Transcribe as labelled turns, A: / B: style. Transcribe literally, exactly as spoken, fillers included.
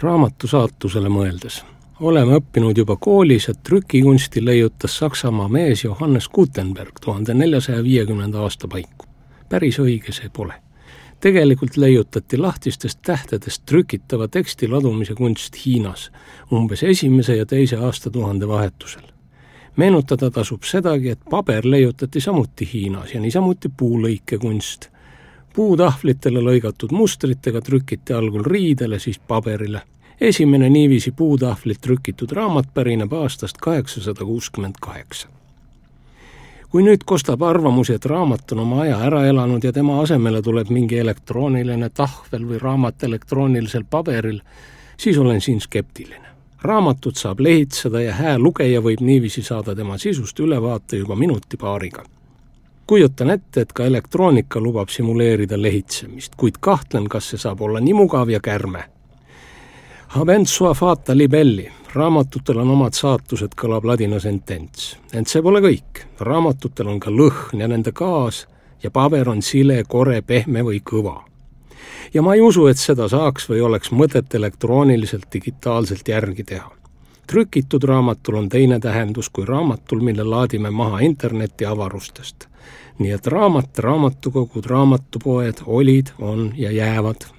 A: Raamatu saatusele mõeldes. Oleme õppinud juba koolis, et trükikunsti leiutas Saksamaa mees Johannes Gutenberg tuhande neljasaja viiekümnenda aasta paiku. Päris õige see pole. Tegelikult leiutati lahtistest tähtedest trükitava teksti ladumise kunst Hiinas umbes esimese ja teise aastatuhande vahetusel. Meenutada tasub sedagi, et paber leiutati samuti Hiinas ja niisamuti puulõikekunst. Puutahvlitele lõigatud mustritega trükiti algul riidele, siis paberile. Esimene niiviisi puutahvlit trükitud raamat pärineb aastast kaheksasada kuuskümmend kaheksa. Kui nüüd kostab arvamusi, et raamat on oma aja ära elanud ja tema asemele tuleb mingi elektrooniline tahvel või raamat elektroonilisel paberil, siis olen siin skeptiline. Raamatut saab lehitseda ja hää lugeja võib niiviisi saada tema sisust ülevaate juba minuti paariga. Kujutan ette, et ka elektroonika lubab simuleerida lehitsemist, kuid kahtlen, kas see saab olla nii mugav ja kärme. Habent sua fata libelli. Raamatutel on omad saatused, kõlab ladina sentents. Ent see pole kõik. Raamatutel on ka lõhn ja nende gaas ja paber on sile, kore, pehme või kõva. Ja ma ei usu, et seda saaks või oleks mõtet elektrooniliselt digitaalselt järgi teha. Trükitud raamatul on teine tähendus kui raamatul, mille laadime maha interneti avarustest. Nii et raamat, raamatukogud, raamatupoed olid, on ja jäävad